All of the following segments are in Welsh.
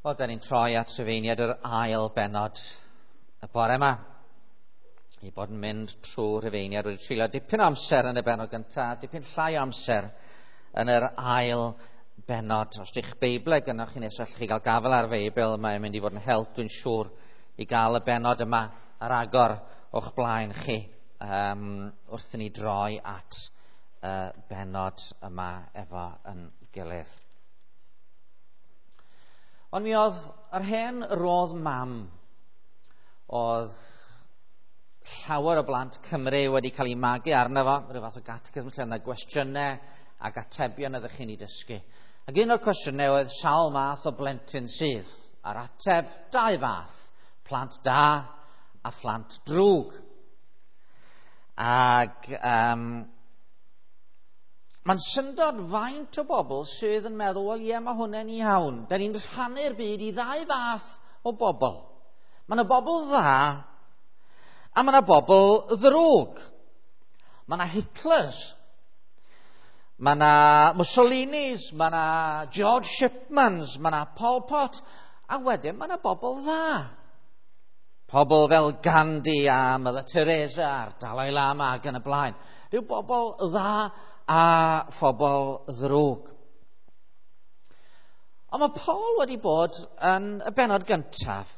Wel, da ni'n troi at Rhufeiniaid yr ail bennod y bore yma. I bod yn mynd trwy Rhufeiniaid wedi treulio dipyn o amser yn y bennod gyntaf, dipyn llai o amser yn yr ail bennod. Os ydych Beiblau gynnwch chi nesaf, allwch chi gael gafael ar Feibl, mae'n mynd i fod yn help, dwi'n siŵr, i gael y bennod yma ar agor o'ch blaen chi wrth i ni droi at y bennod yma efo yn gilydd. Ond mi oedd yr hen rodd mam, oedd llawer o blant Cymru wedi cael eu magu arno fo, rhyw fath o catechism lle yna gwestiynau ac atebion ydych chi'n ei dysgu. Ac un o'r cwestiynau oedd sawl math o blentyn sydd, a'r ateb dau fath, plant da a phlant drwg. Ac mae'n syndod faint o bobl sydd yn meddwl, wel ie, mae hwnna'n iawn. Da ni'n rhannu'r byd i ddau fath o bobl. Mae yna bobl dda a mae yna bobl ddrwg. Mae yna Hitlers, mae yna Mussolinis, mae yna George Shipmans, mae yna Pol Pot, a wedyn mae yna bobl dda. Pobl fel Gandhi a Mother Teresa a'r Dalai Lama ac yn y blaen. Rhyw bobl dda a phobl ddrwg. Ond mae Paul wedi bod yn y bennod gyntaf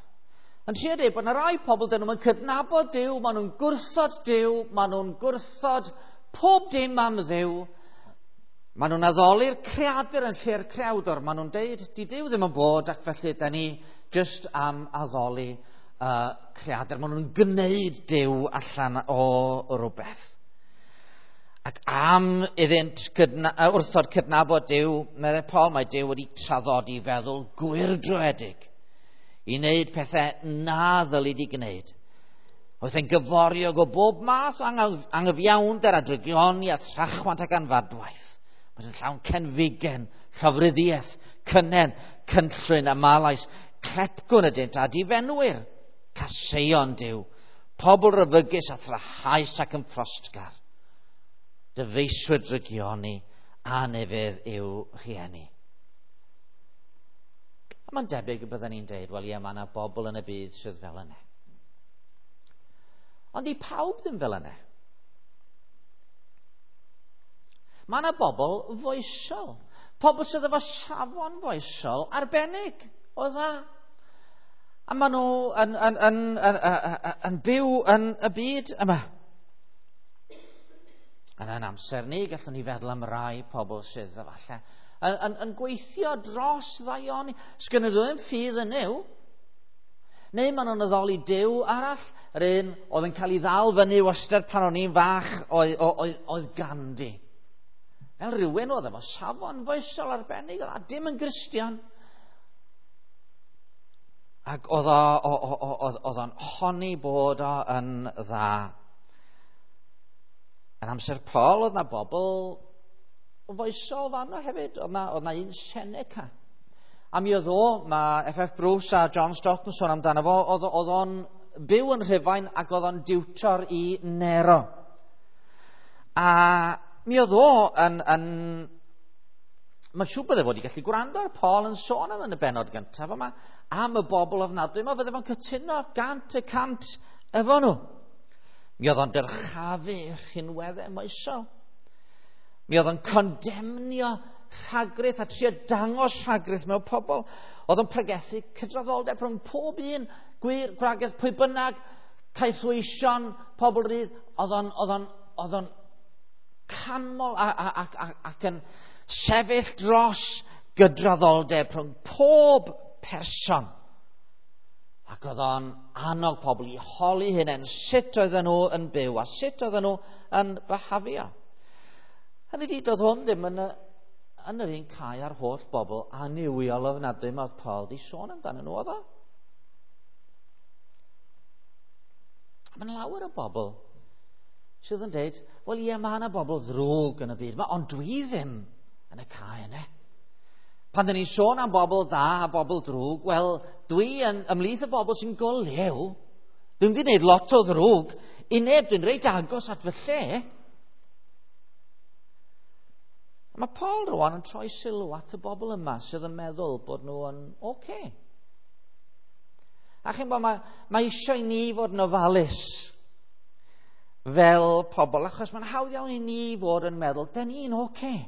yn trio dweud bod yna rai pobl dyn nhw'n cydnabod Duw, maen nhw'n gwrthod Duw, maen nhw'n gwrthod pob dim am Dduw, maen nhw'n addoli'r creadur yn lle'r creawdor, maen nhw'n deud, di Duw ddim yn bod ac felly da ni jyst am addoli creadur. Maen nhw'n gwneud Duw allan o rhywbeth. Ac am iddynt wrthod cydnabod Duw, meddai Paul, mae Duw wedi traddodi feddwl gwyrdroedig i wneud pethau na ddylid i gwneud. Oedd e'n gyforiog o bob math o anghyfiawnder a drygioni a thrachwant ac anfadwaith. Mae'n llawn cenfigen, llofruddiaeth, cynnen, cynllwyn a malais, clepgwn ydynt a difenwyr, caseion Duw, pobl ryfygus a thrahaus ac yn ffrostgar. Dyfeiswyr drygioni a nefydd yw rhieni. A mae'n debyg y byddwn ni'n deud, wel ie, mae yna bobl yn y byd sydd fel yna. Ond i pawb ddim fel yna. Mae yna bobl foesol. Pobl sydd efo safon foesol arbennig o dda. A maen nhw yn byw yn y byd yma. Yn ein amser ni, gallwn ni feddwl am rai pobl sydd efallai yn gweithio dros ddaioni. Sgynny nhw ddim ffydd yn Nuw. Neu maen nhw'n addoli Duw arall. Yr un oedd yn cael ei ddal fyny wastad pan o'n i'n fach oedd Gandhi. Fel rhywun oedd efo safon foesol arbennig, a dim yn Gristion. Ac oedd o'n honni bod o yn dda. Yn amser Paul oedd na bobl foesol fanno hefyd, oedd na un Seneca. A mi oedd o, mae F.F. Bruce a John Stott yn sôn amdano fo, oedd o'n byw yn Rhufain ac oedd o'n diwtor i Nero. A mi oedd o yn mae'n siŵr bydde fod i gallu gwrando ar Paul yn sôn am yn y bennod gyntaf yma, am y bobl ofnadwy yma, fydde fo'n cytuno 100% efo nhw. Mi oedd o'n dyrchafu rhinweddau moesol. Mi oedd o'n condemnio rhagrith a trio dangos rhagrith mewn pobl. Oedd o'n pregethu cydraddoldeb rhwng pob un, gwir, gwragedd, pwy bynnag, caethweision, pobl rydd. Oedd o'n canmol ac yn sefyll dros gydraddoldeb rhwng pob person. Ac oedd o'n annog pobl i holi hunain sut oedden nhw yn byw a sut oedden nhw yn byhafio. Hynny ydi, doedd hwn ddim yn yr un cae ar holl bobl annuwiol ofnadwy mae Paul di sôn amdano nhw, oedd o? Mae'n lawer o bobl sydd yn deud, wel ie, mae yna bobl ddrwg yn y byd yma, ond dwi ddim yn y cae yna. Pan dyn ni'n sôn am bobl dda a bobl drwg, wel, dwi yn ymhlith y bobl sy'n golew. Dwi'n wedi gwneud lot o ddrwg i neb, dwi'n reit agos at fy lle. Mae Paul rwan yn troi sylw at y bobl yma sydd yn meddwl bod nhw yn oce. A chi'n bod, mae eisiau i ni fod yn ofalus fel pobl, achos mae'n hawdd iawn i ni fod yn meddwl, den ni'n oce. Okay.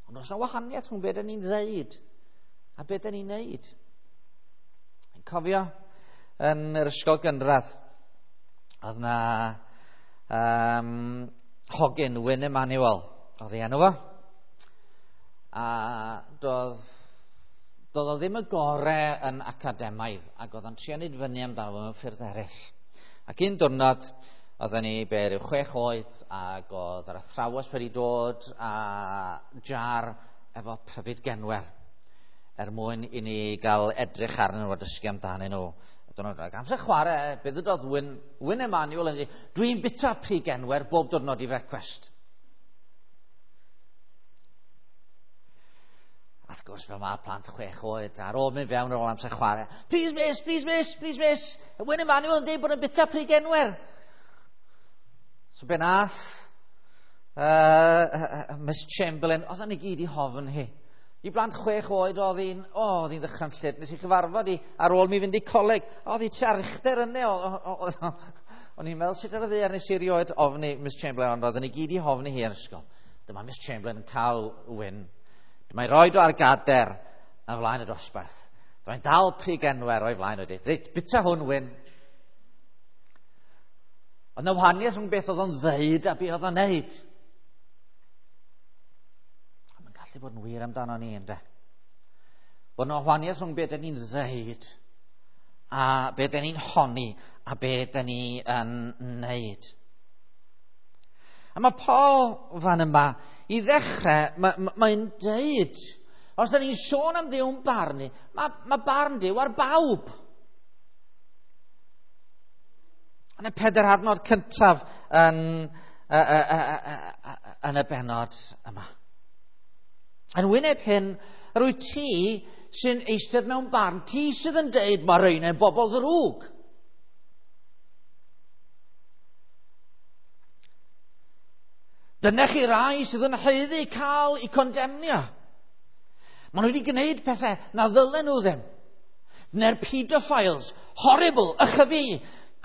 Ond oes yna wahaniaeth rhwng beth ni'n ddeud a beth ni'n neud. Yn cofio yn yr ysgol gynradd, oedd na hogyn, Wyn Emanuel, oedd ei enw fo. A doedd o ddim y gore yn academaidd, ac oedd o'n trio neud fyny amdano fo mewn ffyrdd eraill. Ac un diwrnod, oedden ni be ryw 6 oed, ac oedd yr athrawes wedi dod â jar efo pryfid genwer er mwyn i ni gael edrych arnyn nhw a dysgu amdanyn nhw. Ac amser chwarae, be ddydodd Wyn Emanuel yn dweud, dwi'n bita pry genwer bob diwrnod i frecwast. A wrth gwrs, fel mae plant 6 oed, ar ôl mynd fewn ar ôl amser chwarae, please miss, please miss, please miss, Wyn Emanuel yn dweud bod yn bita pry genwer. So be nath Miss Chamberlain, oedd ni gyd i hofn hi. I blant 6 oed oedd hi'n ddychrynllyd. Nes i chyfarfod i ar ôl mi fynd i coleg. Oedd hi tua'r uchder yna. O'n i'n meddwl sut ar y ddaear nes i erioed ofni Miss Chamberlain, ond oedden ni gyd i hofni hi yn ysgol. Dyma Miss Chamberlain yn cael Wyn. Dyma'i roed o ar gader yn flaen y dosbarth. Dyma'n dal pry genwer o'i flaen o'i dweud, reit, bita hwn, Wyn. Ond na wahaniaeth rhwng beth oedd o'n ddeud a beth oedd o'n neud. A mae'n gallu bod yn wir amdano ni, ynde? Bod yna wahaniaeth rhwng beth ni'n ddeud a beth ni'n honni a beth ni yn neud. A mae Paul fan yma, i ddechrau, mae'n deud, os da ni'n sôn am Dduw'n barnu, mae barn Duw ar bawb. Yn y 4 adnod cyntaf yn y bennod yma. Yn wyneb hyn, yr wyt ti sy'n eistedd mewn barn, ti sydd yn deud mae rhein yn bobl ddrwg. Dyna chi rai sydd yn haeddu cael eu condemnio. Maen nhw wedi gwneud pethau na ddylen nhw ddim. Dyna'r pedophiles, horrible, ychyfu,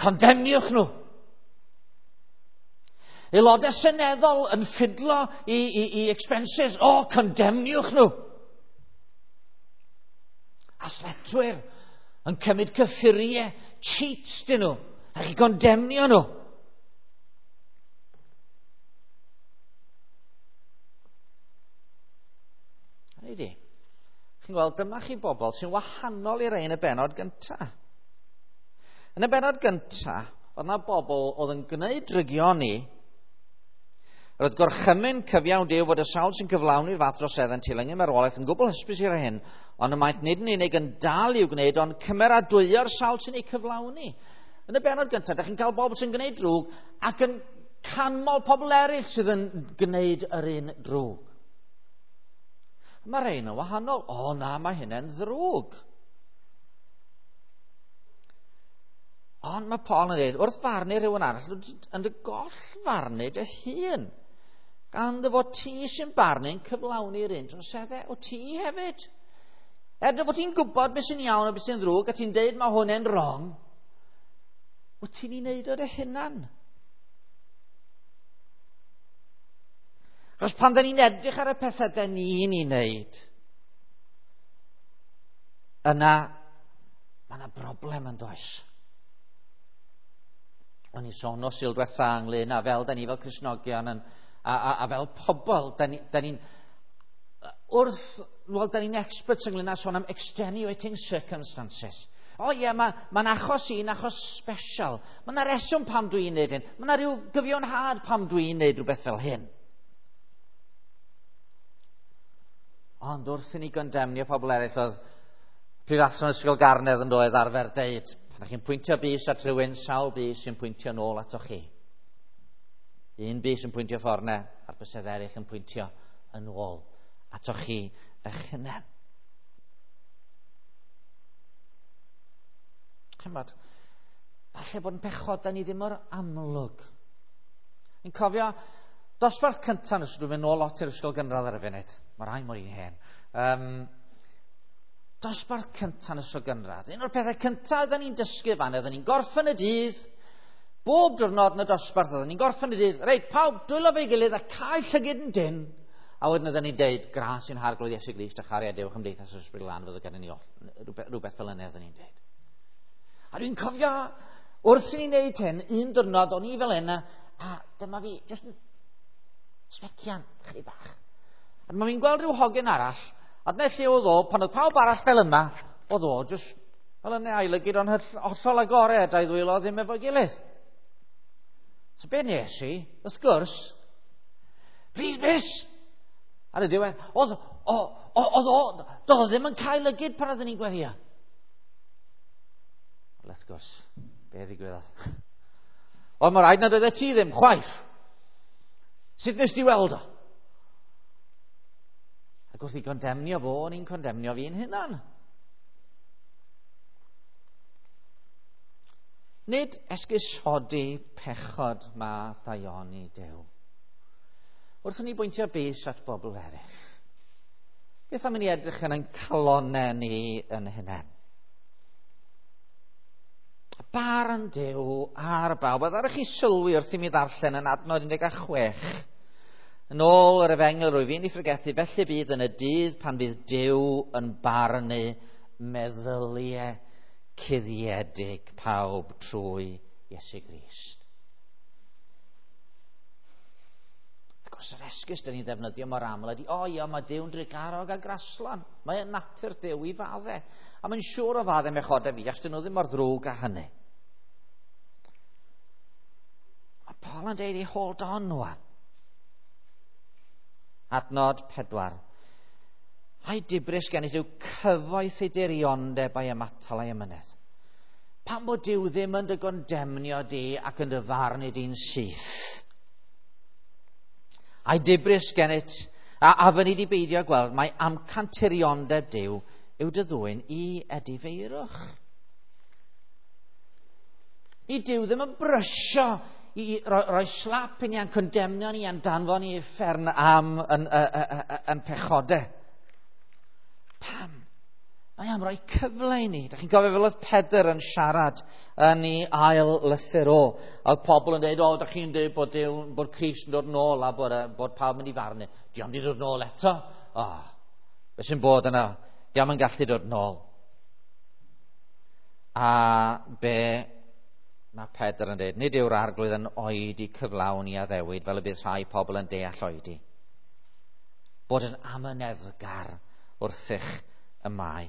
condemniwch nhw. Aelodau seneddol yn ffidlo i expenses, condemniwch nhw. Athletwyr yn cymryd cyffuriau, cheats dyn nhw, a chi condemnio nhw. Hynny di, chi'n gweld, dyma chi bobl sy'n wahanol i'r ein y bennod gyntaf. Yn y bennod gyntaf, oedd yna bobl oedd yn gwneud drygioni. Roedd gorchymyn cyfiawn Duw fod y sawl sy'n cyflawni'r fath droseddau yn teilyngu marwolaeth yn gwbl hysbys i'r hyn, ond y maent nid yn unig yn dal i'w gwneud, ond cymeradwyo'r sawl sy'n ei cyflawni. Yn y bennod gyntaf, dych chi'n cael bobl sy'n gwneud drwg ac yn canmol pobl eraill sydd yn gwneud yr un drwg. Mae rhain yn wahanol. O na, mae hynny'n ddrwg. Ond mae Paul yn dweud, wrth farnu rhywun arall, yn dy goll farnu dy hun. Gan dy fod ti sy'n barnu'n cyflawni'r un troseddau, o ti hefyd. Er dy fod ti'n gwybod beth sy'n iawn a beth sy'n ddrwg, a ti'n deud mae hwn yn wrong, wyt ti'n ei wneud o dy hunan. Achos pan da ni'n edrych ar y pethau da ni'n ei wneud, yna mae yna broblem yn does. O'n i'n sôn o Sul diwetha ynglyn â fel da ni fel Cristnogion a fel pobl, da ni'n experts ynglyn â sôn am extenuating circumstances. O ie, mae'n achos un achos special. Mae yna reswm pam dwi'n neud hyn. Mae yna rhyw gyfiawnhad pam dwi'n neud rhywbeth fel hyn. Ond wrth i ni gondemnio pobl eraill, oedd prifathro Ysgol Garnedd yn doedd arfer deud, pan chi'n pwyntio bys at rhywun, sawl bys sy'n pwyntio nôl atoch chi. Un bys yn pwyntio ffordd na, a'r bysedd eraill yn pwyntio yn ôl atoch chi eich hunain. Chymod, falle bod yn pechod da ni ddim mor amlwg. Ni'n cofio dosbarth cyntaf nes dwi'n mynd nôl lot i'r ysgol gynradd ar y funud. Mae rai mor un hen. Dosbarth cyntaf yn ysgol gynradd. Un o'r pethau cyntaf oedden ni'n dysgu fan, oedden ni'n gorffen y dydd, bob diwrnod yn y dosbarth oedden ni'n gorffen y dydd, reit, pawb, dwylo fe'i gilydd a cael llygyd yn dyn. A wedyn oedden ni'n deud, gras i'n harglwydd Iesu Grist a chariad Duw chymdeithas yr Ysbryd Glân fydd gyda ni oll. Rhywbeth fel yna oedden ni'n deud. A dwi'n cofio, wrth i ni wneud hyn, un diwrnod o'n i fel yna, a dyma fi, jyst yn sbecian, chydig bach. A dyma fi'n gweld rhyw hogyn arall, a dyna lle oedd o, pan oedd pawb arall fel yma, oedd o jyst fel yna a'i lygyd o'n hollol agored a'i ddwylo ddim efo'i gilydd. So be nes i, wrth gwrs, please miss! Ar y diwedd, oedd o, oedd o, doedd o ddim yn cael lygyd pan oedden ni'n gweddio. Wel, wrth gwrs, be ddigwyddodd? Ond mae rhaid nad oeddet ti ddim, chwaith. Sut nes di weld o? Ac wrth i gondemnio fo, o'n i'n condemnio fi'n hunan. Nid esgusodi pechod mae daioni Duw. Wrth i ni bwyntio bys at bobl eraill, beth am i ni edrych yn ein calonau ni yn hunain? Barn Duw ar bawb. A ddaru chi sylwi wrth i mi ddarllen yn adnod 16. Yn ôl yr efengyl rwyf fi'n ei phregethu, felly bydd yn y dydd pan fydd Duw yn barnu meddyliau cuddiedig pawb trwy Iesu Grist. Wrth gwrs, yr esgus dyn ni'n ddefnyddio mor aml ydy, o ia, mae Duw'n drugarog a graslon. Mae yn natur Duw i fadde. A mae'n siŵr o fadde mechodau fi, achos dyn nhw ddim mor ddrwg â hynny. Mae Paul yn deud i hold on wan. Adnod 4. Ai dibris gennych yw cyfoeth ei diriondeb a'i ymatal a'i amynedd. Pam bod Duw ddim yn dy gondemnio di ac yn dy farnu di'n syth? Ai dibris gennyt, a fyny di beidio gweld, mae amcan tiriondeb Duw yw dy ddwyn i edifeirwch. Ni Duw ddim yn brysio i roi slap i ni a'n condemnio ni a'n danfon ni i uffern am yn pechodau. Pam? Mae am roi cyfle i ni. Da chi'n cofio fel oedd Pedr yn siarad yn ei ail lythyr o. A oedd pobl yn dweud, o, da chi'n dweud bod, Duw, bod Crist yn dod nôl a bod pawb mynd i farnu. Dio'm di dod nôl eto. O, beth sy'n bod yna? Dio'm yn gallu dod nôl. A be mae Pedr yn dweud, nid yw'r arglwydd yn oedi cyflawn i addewid fel y bydd rhai pobl yn deall oedi. Bod yn amyneddgar wrthych y mae.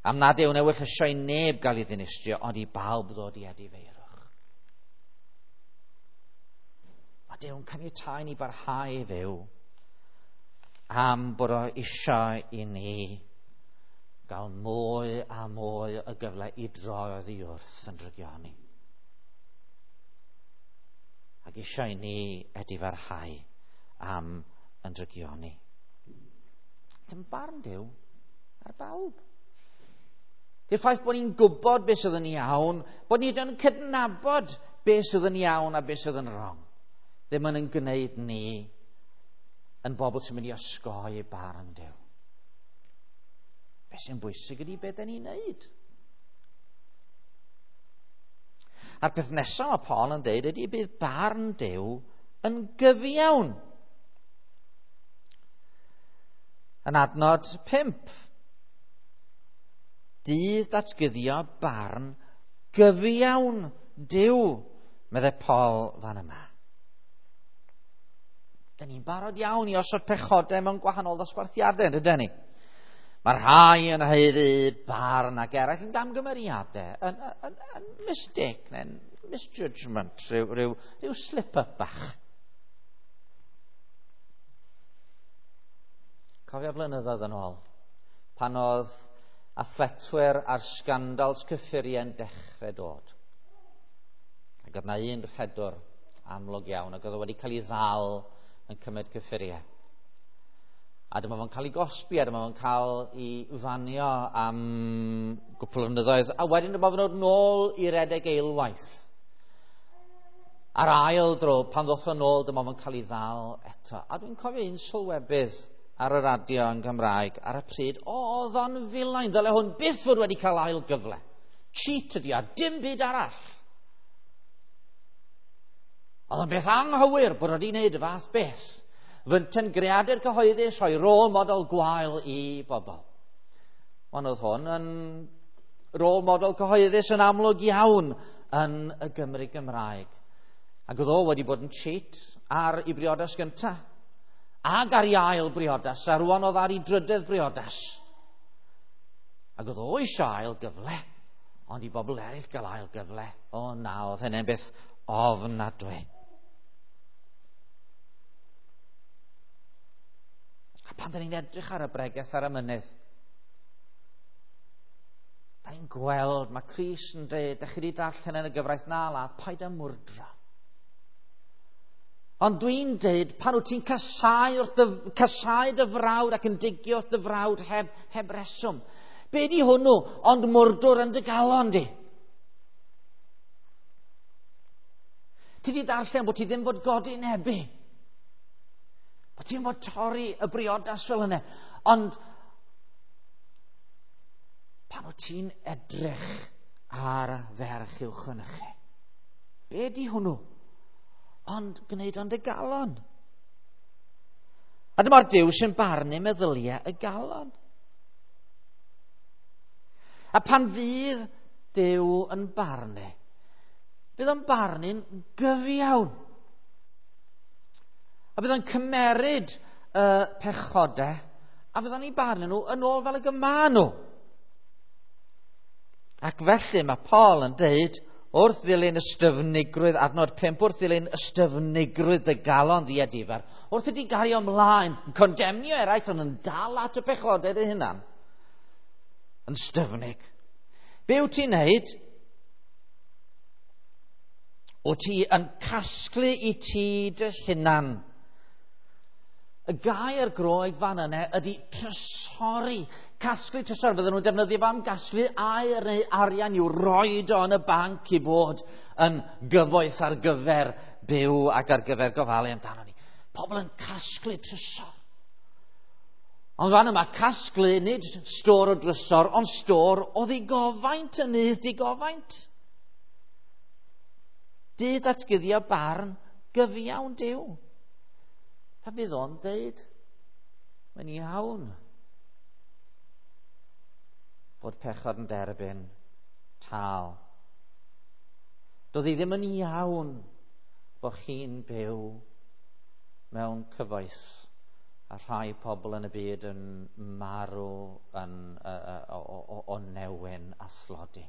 Am nad yw'n ewyllysio i neb gael ei ddinistrio, ond i bawb ddod i edifeirwch. Mae Duw'n caniatáu ni barhau i fyw am bod o eisiau i ni gael mwy a mwy o gyfle i droi oddi wrth yn drygioni. Ac eisiau i ni edifarhau am yn drygioni. Ddim barn Duw ar bawb. Di'r ffaith bod ni'n gwybod beth sydd yn iawn, bod ni yn cydnabod beth sydd yn iawn a beth sydd yn wrong, ddim yn gwneud ni yn bobl sy'n mynd i osgoi barn Duw. Beth sy'n bwysig ydy beth da ni'n neud. A'r peth nesaf mae Paul yn deud ydy bydd barn Duw yn gyfiawn. Yn adnod 5. Dydd datguddio barn gyfiawn Duw, meddai Paul fan yma. Dyn ni'n barod iawn i osod pechodau mewn gwahanol ddosbarthiadau, ydyn ni? Mae rhai yn haeddu barn ac eraill yn gamgymeriadau, yn mistake neu'n misjudgment, rhyw slip-up bach. Cofio flynyddoedd yn ôl, pan oedd athletwyr a'r sgandals cyffuriau yn dechrau dod. Ac oedd na un rhedwr amlwg iawn, ac oedd o wedi cael ei ddal yn cymryd cyffuriau. A dyma fo'n cael ei gosbi, a dyma fo'n cael ei fanio am gwpl o flynyddoedd. A wedyn dyma fo'n dod nôl i redeg eilwaith. A'r ail dro, pan ddoth o nôl, dyma fo'n cael ei ddal eto. A dwi'n cofio un sylwebydd ar y radio yn Gymraeg ar y pryd, oedd o'n filain, ddyle hwn byth fod wedi cael ail gyfle. Cheat ydi a dim byd arall. Oedd o'n beth anghywir bod wedi wneud y fath beth. Fynten greadur cyhoeddus rhoi rôl model gwael i bobl. Ond oedd hwn yn rôl model cyhoeddus yn amlwg iawn yn y Gymru Gymraeg. Ac oedd o wedi bod yn cheat ar ei briodas gyntaf. Ac ar ei ail briodas, a rwan oedd ar ei drydedd briodas. Ac oedd o eisiau ail gyfle, ond i bobl eraill gael ail gyfle. O na, oedd hynny'n beth ofnadwy. A pan da ni'n edrych ar y bregeth ar y mynydd, da ni'n gweld, mae Crist yn dweud, da chi wedi darllen yn y gyfraith na ladd, paid â mwrdra. Ond dwi'n dweud, pan wyt ti'n casau, casau dy frawd ac yn digio wrth dy frawd heb, heb reswm, be di hwnnw ond mwrdwr yn dy galon di? Ti di darllen bod ti ddim fod godi nebu. Bod ti'n fod torri y briodas fel yna. Ond pan wyt ti'n edrych ar ferch i'w chynnychu, be di hwnnw? Ond gwneud ond y galon. A dyma'r Duw sy'n barnu meddyliau y galon. A pan fydd Duw yn barnu, bydd o'n barnu'n gyfiawn. A bydd o'n cymeryd y pechodau, a fydd o'n eu barnu nhw yn ôl fel y gyma nhw. Ac felly mae Paul yn deud, wrth ddilyn ystyfnigrwydd, adnod 5, wrth ddilyn ystyfnigrwydd dy galon ddiedifar, wrth ydi gario ymlaen, yn condemnio eraill, ond yn dal at y pechodau dy hunan, yn styfnig. Be wyt ti'n neud? Wyt ti yn casglu i ti dy hunan. Y gair Groeg fan yna ydy trysori. Casglu trysor. Fydden nhw'n defnyddio fo am gasglu aur neu arian i'w roed o yn y banc i fod yn gyfoeth ar gyfer byw ac ar gyfer gofalu amdano ni. Pobl yn casglu trysor. Ond fan yma, casglu nid stôr o drysor, ond stôr o ddigofaint, yn nydd digofaint. Dydd atguddio barn gyfiawn Duw. Pa fydd o'n deud? Mae'n iawn fod pechod yn derbyn tal. Doedd hi ddim yn iawn bod chi'n byw mewn cyfoeth a rhai pobl yn y byd yn marw yn, o, o newyn a thlodi.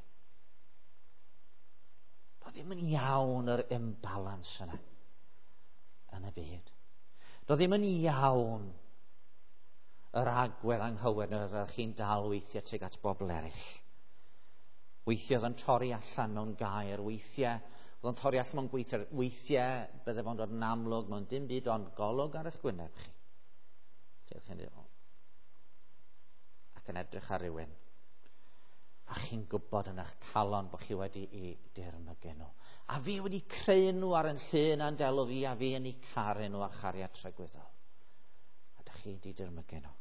Doedd ddim yn iawn yr imbalance yna yn y byd. Doedd ddim yn iawn yr agwedd anghywir neu oeddech chi'n dal weithiau tuag at bobl eraill. Weithiau oedd yn torri allan mewn gair, weithiau oedd yn torri allan mewn gweithiau, weithiau bydde fo'n dod yn amlwg mewn dim byd ond golwg ar eich gwyneb chi. Chi'n dweud, ac yn edrych ar rywun. A chi'n gwybod yn eich calon bod chi wedi i dirmygu nhw. A fi wedi creu nhw ar yn llun a'n delw fi, a fi yn eu caru nhw a chariad tragwyddol. A dych chi wedi dirmygu nhw.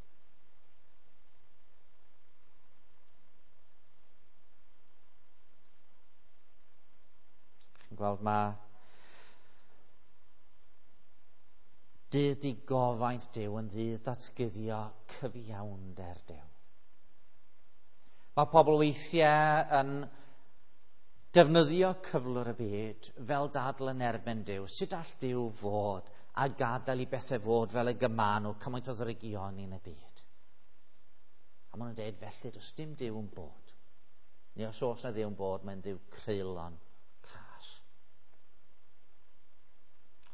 Chi'n gweld mae dydd digofaint Duw yn ddydd datguddio cyfiawnder Duw. Mae pobl weithiau yn defnyddio cyflwr y byd fel dadl yn erbyn Duw. Sut all Duw fod a gadael i bethau fod fel y gyma nhw cymaint o ddrygion yn y byd? A maen nhw'n dweud, felly, does dim Duw yn bod. Neu os oes na Dduw yn bod, mae'n Dduw creulon cas.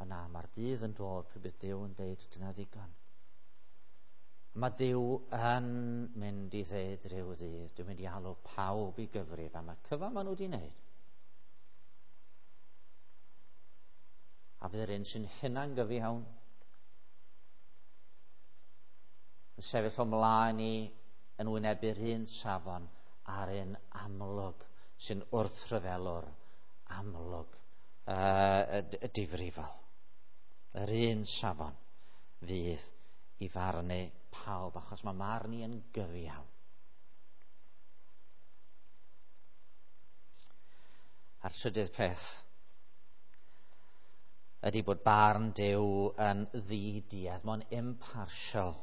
O na, mae'r dydd yn dod pryd bydd Duw yn dweud, dyna ddigon. Mae Duw yn mynd i ddeud rhyw ddydd, dwi'n mynd i alw pawb i gyfrif am y cyfan maen nhw wedi wneud. A fydd yr un sy'n hunan gyfiawn yn sefyll o mlaen i yn wynebu'r un safon a'r un amlwg sy'n wrthryfelwr amlwg difrifol. Yr un safon fydd i farnu pawb, achos mae marn i yn gyfiawn. A'r trydydd peth ydy bod barn Duw yn ddiduedd, mae'n impartial.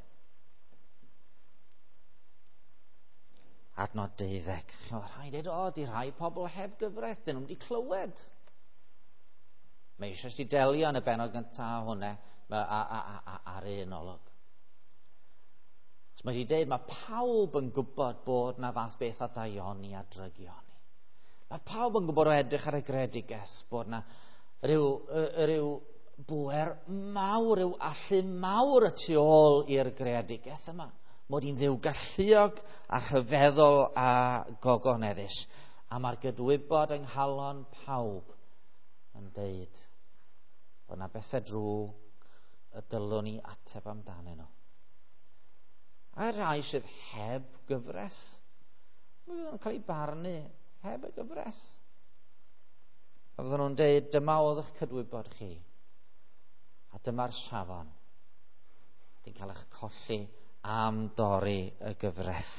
Adnod 12. Mae rhaid dweud, o, di rhai pobl heb gyfraith, dyn nhw'n wedi clywed. Mae eisiau si delio yn y benod gyntaf hwnna ar un olwg. So mae wedi dweud, mae pawb yn gwybod bod na fath beth a daioni a drygioni. Mae pawb yn gwybod o edrych ar y gredigaeth bod na rhyw bwer mawr, rhyw allu mawr y tu ôl i'r greadigaeth yma. Mod i'n ddiw galluog a rhyfeddol a gogoneddus. A mae'r gydwybod yng nghalon pawb yn deud bod na bethau drwg y dylwn ni ateb amdanyn nhw. A rhai sydd heb gyfres, mi fydden nhw'n cael eu barnu heb y gyfres. A fydden nhw'n deud, dyma oedd eich cydwybod chi, a dyma'r safon. Di'n cael eich colli am dorri y gyfres.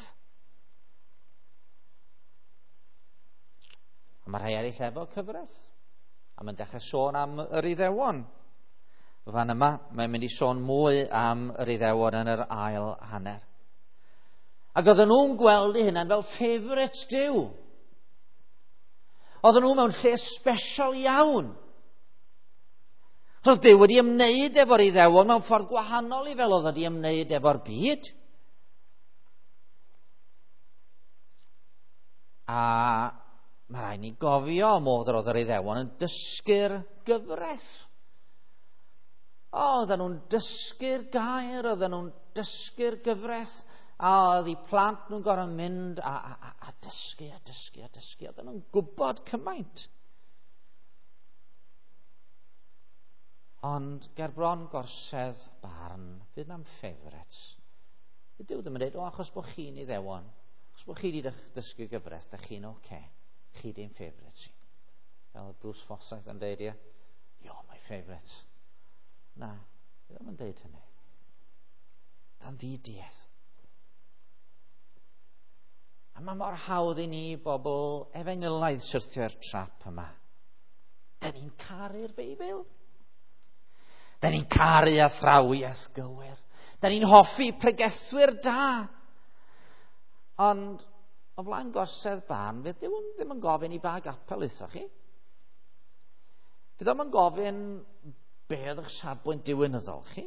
A mae rhai eraill efo cyfres. A mae'n dechrau sôn am yr Iddewon. Fan yma, mae'n mynd i sôn mwy am yr Iddewon yn yr ail hanner. Ac oedden nhw'n gweld eu hunain fel favourites Duw. Oedden nhw mewn lle special iawn. Roedd Duw wedi ymwneud efo'r Iddewon mewn ffordd gwahanol i fel oedd wedi ymwneud efo'r byd. A mae rhaid ni gofio modd yr oedd yr Iddewon yn dysgu'r gyfraith. Oedden nhw'n dysgu'r gair, oedden nhw'n dysgu'r gyfraith, a oedd eu plant nhw'n gorfod mynd a dysgu a dysgu a dysgu. Oedden nhw'n gwybod cymaint. Ond ger bron gorsedd barn, fydd na'm favourites. Fydd Duw ddim yn dweud, o, achos bod chi'n Iddewon, achos bod chi wedi dysgu gyfraith, da chi'n oce. Okay. Chi di'n favourites i. Fel Bruce Forsyth yn dweud, ie, you're my favourites. Na, fydd ddim yn dweud hynny. Dan ddiduedd. A mae mor hawdd i ni bobl efengylaidd syrthio i'r trap yma. Da ni'n caru'r Beibl. Da ni'n caru athrawiaeth gywir. Da ni'n hoffi pregethwyr da. Ond o flaen gorsedd barn, fydd Duw ddim yn gofyn i ba gapel aethoch chi. Fydd o'm yn gofyn be oedd eich safbwynt diwinyddol chi.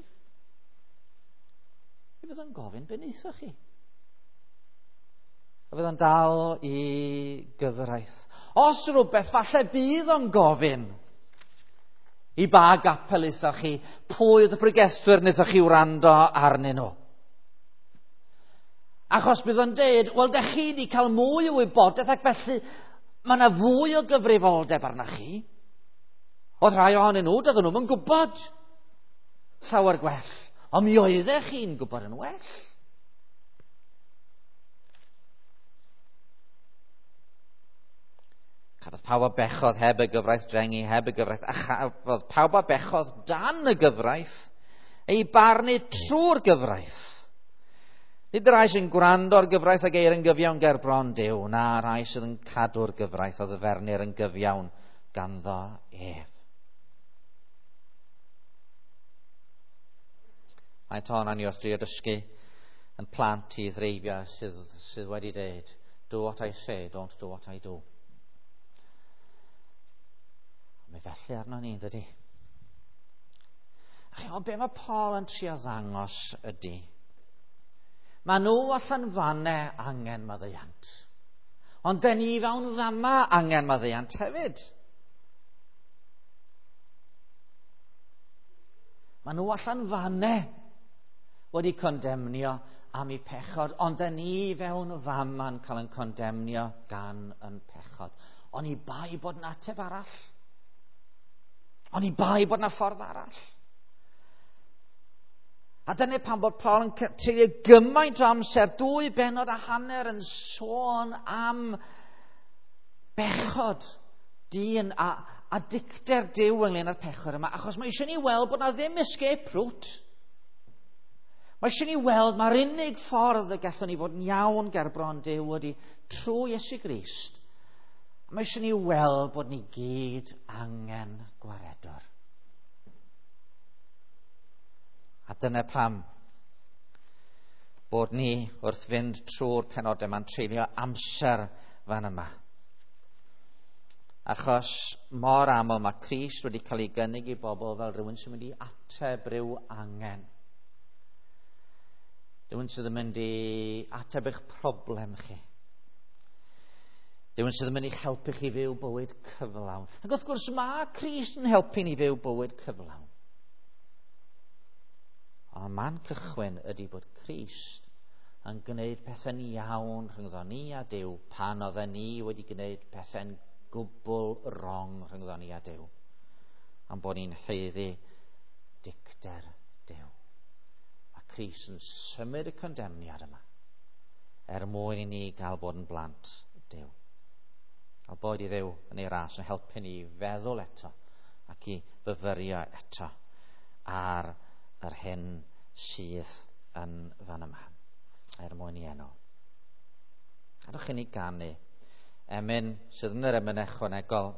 Fydd o'n gofyn be wnaethoch chi. A fydd o'n dal i gyfraith. Os rhywbeth, falle bydd o'n gofyn i ba gapel aethoch chi, pwy oedd y pregethwyr wnaethoch chi wrando arnyn nhw. Achos bydd o'n deud, wel, da chi wedi cael mwy o wybodaeth ac felly mae yna fwy o gyfrifoldeb arna chi. Oedd rhai ohonyn nhw, doedden nhw'n gwybod llawer gwell. Ond mi oeddech chi'n gwybod yn well. Cafodd pawb a bechodd heb y gyfraith drengu, heb y gyfraith, a chafodd pawb a bechodd dan y gyfraith ei barnu trwy'r gyfraith. Nid y rhai sy'n gwrando ar gyfraith ag eir yn gyfiawn ger bron Duw, na rhai sydd yn cadw'r gyfraith a ddyfernir yn gyfiawn ganddo ef. Mae tôn ni wrth drio dysgu yn plant i ddreifio sydd wedi dweud, do what I say, don't do what I do. Mae felly arno ni, dydy. A chi'n be mae Paul yn trio ddangos ydy, mae nhw allan fanne angen maddeuant. Ond den ni fewn fama angen maddeuant hefyd. Mae nhw allan fanne wedi condemnio am eu pechod, ond den ni fewn fama'n cael yn condemnio gan yn pechod. Ond i bai bod yn ateb arall. Ond i bai bod yna ffordd arall. A dyna pam bod Paul yn treulio gymaint o amser, 2.5 bennod yn sôn am bechod dyn a dicter Duw ynglyn â'r pechod yma, achos mae eisiau ni weld bod na ddim escape route. Mae eisiau ni weld mae'r unig ffordd y gallwn ni fod yn iawn gerbron Duw ydy trwy Iesu Grist. Mae eisiau ni weld bod ni gyd angen gwaredwr. A dyna pam bod ni wrth fynd trwy'r penodau yma'n treulio amser fan yma. Achos mor aml mae Crist wedi cael ei gynnig i bobl fel rhywun sy'n mynd i ateb rhyw angen. Rhywun sydd yn mynd i ateb eich problem chi. Rhywun sydd yn mynd i'ch helpu chi fyw bywyd cyflawn. Ac wrth gwrs mae Crist yn helpu ni fyw bywyd cyflawn. Ond man cychwyn ydy bod Crist yn gwneud pethau'n iawn rhyngddo ni a Duw pan oedden ni wedi gwneud pethau'n gwbl wrong rhyngddo ni a Duw. Am bod ni'n haeddu dicter Duw. A Crist yn symud y condemniad yma er mwyn i ni gael bod yn blant Duw. A boed i Dduw yn ei ras yn helpu ni i feddwl eto ac i fyfyrio eto ar yr hyn sydd yn fan yma, er mwyn i enw. Gadwch i ni ganu emyn sydd yn yr emyn ychwanegol.